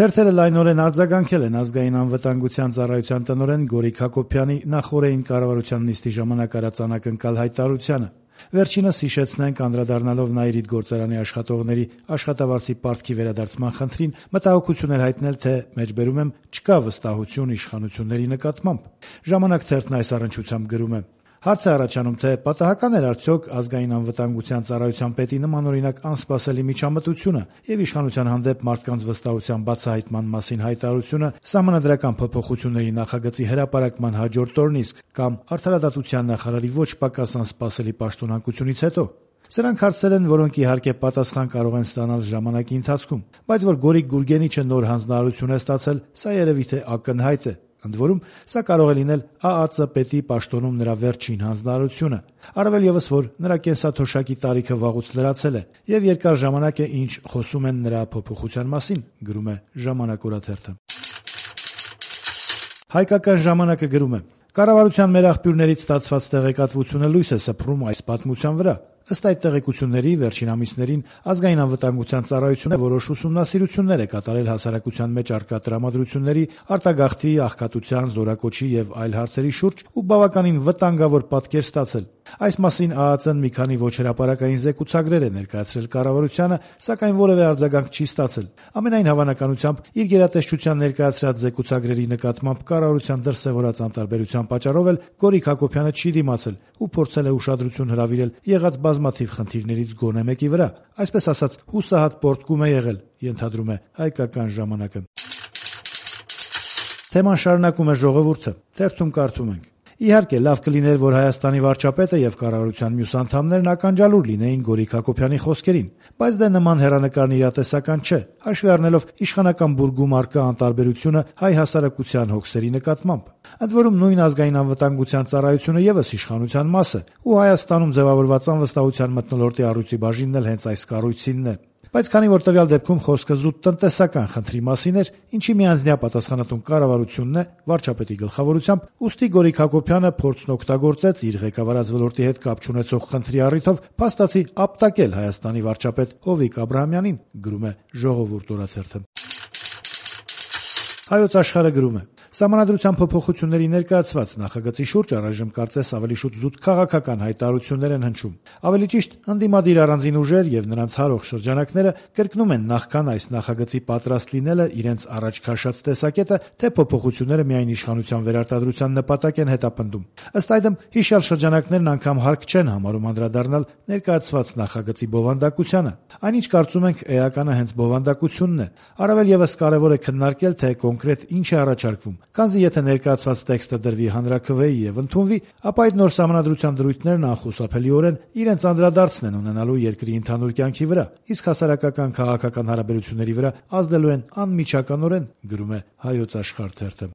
Թերթերը լայնորեն արձագանքել են ազգային անվտանգության ծառայության տնօրեն Գորիկ Հակոբյանի նախօրեին կառավարության նիստի ժամանակ արած անակնկալ հայտարարությանը։ Վերջինս հիշեցնենք, անդրադառնալով Նաիրիդ գործարանի աշխատողների աշխատավարձի պարտքի վերադարձման խնդրին, մտահոգություն էր հայտնել, թե մեջբերում եմ չկա վստահություն իշխանությունների նկատմամբ։ Ժամանակ թերթն այս առնչությամբ գրում է. Հարց է առաջանում, թե պատահական էր արդյոք ազգային անվտանգության ծառայության պետի նմանօրինակ անսպասելի միջամտությունը եւ իշխանության հանդեպ մարդկանց վստահության բացահայտման մասին հայտարարությունը սահմանադրական փոփոխությունների նախագծի հրապարակման հաջորդ օրն իսկ կամ արդարադատության նախարարի ոչ պակաս անսպասելի պաշտոնանկությունից հետո։ Սրանք հարցեր են, որոնք իհարկե պատասխան կարող են ստանալ ժամանակի ընթացքում, բայց որ Գորիկ Գուրգենիչը նոր հանձնարարություն է ստացել, սա երևի թե ակնհայտ է։ Ընդ որում, սա կարող է լինել ԱԱԾ պետի պաշտոնում նրա վերջին հանձնարարությունը, առավել ևս, որ նրա կենսաթոշակի տարիքը վաղուց լրացել է եւ երկար ժամանակ է, ինչ խոսում են նրա փոփոխության մասին, գրում է Ժամանակ օրաթերթը։ Հայկական ժամանակը գրում է. Կառավարության մեր աղբյուրներից ստացված տեղեկատվությունը լույս է սփռում այս պատմության վրա։ Ըստ այդ տեղեկությունների, վերջին ամիսներին ազգային անվտանգության ծառայությունը որոշ ուսումնասիրություններ է կատարել հասարակության մեջ առկա տրամադրությունների, արտագաղթի, աղքատության, զորակոչի եւ այլ հարցերի շուրջ ու բավականին վտանգավոր պատկեր ստացել։ Այս մասին ԱԱԾ-ն մի քանի ոչ հրապարակային զեկուցագրեր է ներկայացրել կառավարությանը, սակայն որևէ արձագանք չի ստացել։ Ամենայն հավանականությամբ իր գերատեսչության ներկայացրած զեկուցագրերի նկատմամբ կառավարության դրսևորած անտարբերության պատճառով էլ Գորիկ Հակոբյանը չի դիմացել ու փորձել է ուշադրություն հրավիրել եղած բազմաթիվ խնդիրներից գոնե մեկի վրա, այսպես ասած հուսահատ պոռթկում է եղել, ենթադրում է Հայկական ժամանակը։ Թեման շարունակում է Ժողովուրդը, թերթում կարդում ենք. Իհարկե, լավ կլիներ, որ Հայաստանի վարչապետը եւ կառավարության մյուս անդամներն ականջալուր լինեին Գորիկ Հակոբյանի խոսքերին, բայց դե նման հեռանկարն իրատեսական չէ, հաշվի առնելով իշխանական բուրգում առկա անտարբերությունը հայ հասարակության հոգսերի նկատմամբ։ Ընդ որում նույն ազգային անվտանգության ծառայությունը եւս իշխանության մաս է, ու Հայաստանում ձևավորված անվստահության մթնոլորտի առույցի բաժինն էլ հենց այս կառույցինն է։ Բայց քանի որ տվյալ դեպքում խոսքը զուտ տնտեսական խնդրի մասին էր, ինչի միանձնյա պատասխանատուն կառավարությունն է վարչապետի գլխավորությամբ, ուստի Գորիկ Հակոբյանը փորձն օգտագործեց իր ղեկավարած ոլորտի հետ կապ չունեցող խնդրի առիթով փաստացի ապտակել Հայաստանի վարչապետ Հովիկ Աբրահամյանին, գրում է Ժողովուրդ օրաթերթը։ Հայոց աշխարհը գրում է. Սահմանադրության փոփոխությունների ներկայացված նախագծի շուրջ առայժմ կարծես ավելի շուտ զուտ քաղաքական հայտարարություններ են հնչում։ Ավելի ճիշտ, ընդդիմադիր առանձին ուժեր եւ նրանց հարող շրջանակները կրկնում են նախքան այս նախագծի պատրաստ լինելը իրենց առաջ քաշած տեսակետը, թե փոփոխությունները միայն իշխանության վերարտադրության նպատակ են հետապնդում։ Ըստ այդմ, հիշյալ շրջանակներն անգամ հարկ չեն համարում անդրադառնալ ներկայացված նախագծի բովանդակությանը։ Այնինչ կարծում ենք էականը հենց բովանդակությունն է։ Առավել եւս կարեւոր է քննարկել, թե կոնկրետ ինչ է առաջարկվում։ Քանզի եթե ներկայացված տեքստը դրվի հանրաքվեի եւ ընդունվի, ապա այդ նոր սահմանադրության դրույթներն անխուսափելիորեն իրենց անդրադարձն են ունենալու երկրի ընդհանուր կյանքի վրա, իսկ հասարակական քաղաքական հարաբերությունների վրա ազդելու են անմիջականորեն, գրում է Հայոց աշխարհ թերթը։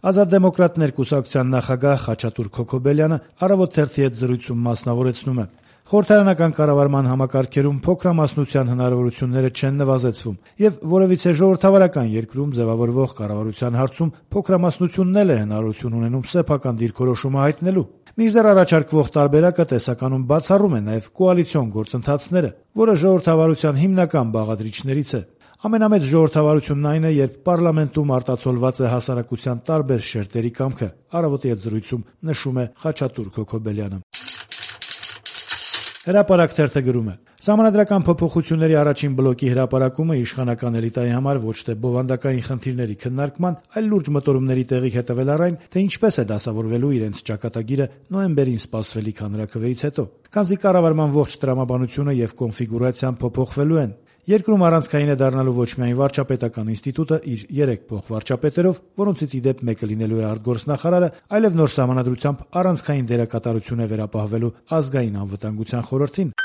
Ազատ դեմոկրատներ կուսակցության նախագահ Խաչատուր Քոքոբելյանը Առավոտ թերթի հետ զրույցում մասնավորեցնում է. Խորհրդարանական կառավարման համակարգերում փոքրամասնության հնարավորությունները չեն նվազեցվում եւ որևիցե ժողովրդավարական երկրում ձևավորվող կառավարության հարցում փոքրամասնությունն էլ է հնարավորություն ունենում սեփական դիրքորոշումը հայտնելու։ Մինչդեռ առաջարկվող տարբերակը տեսականում բացառում է նաեւ կոալիցիոն գործընթացները, որը ժողովրդավարության հիմնական բաղադրիչներից է։ Ամենամեծ ժողովրդավարությունն այն է, երբ պարլամենտում արտացոլված է հասարակության տարբեր շերտերի կամքը, Առավոտի հետ զրույցում նշում է Խաչատուր Քոքոբելյանը։ Հրապարակ թերթը գրում է. Սահմանադրական փոփոխությունների առաջին բլոկի հրապարակումը իշխանական էլիտայի համար ոչ թե բովանդակային խնդիրների քննարկման, այլ լուրջ մտորումների տեղիք է տվել առ այն, թե ինչպես է դասավորվելու իրենց ճակատագիրը նոյեմբերին սպասվելիք հանրաքվեից հետո։ Քանզի կառավարման ողջ տրամաբանությունը եւ կոնֆիգուրացիան փոփոխվելու են։ Երկրում առանցքային է դառնալու ոչ միայն վարչապետական ինստիտուտը իր 3 փոխվարչապետերով, որոնցից ի դեպ մեկը լինելու է արտգործնախարարը, այլև նոր սահմանադրությամբ առանցքային դերակատարություն է վերապահվելու ազգային անվտանգության խորհրդին։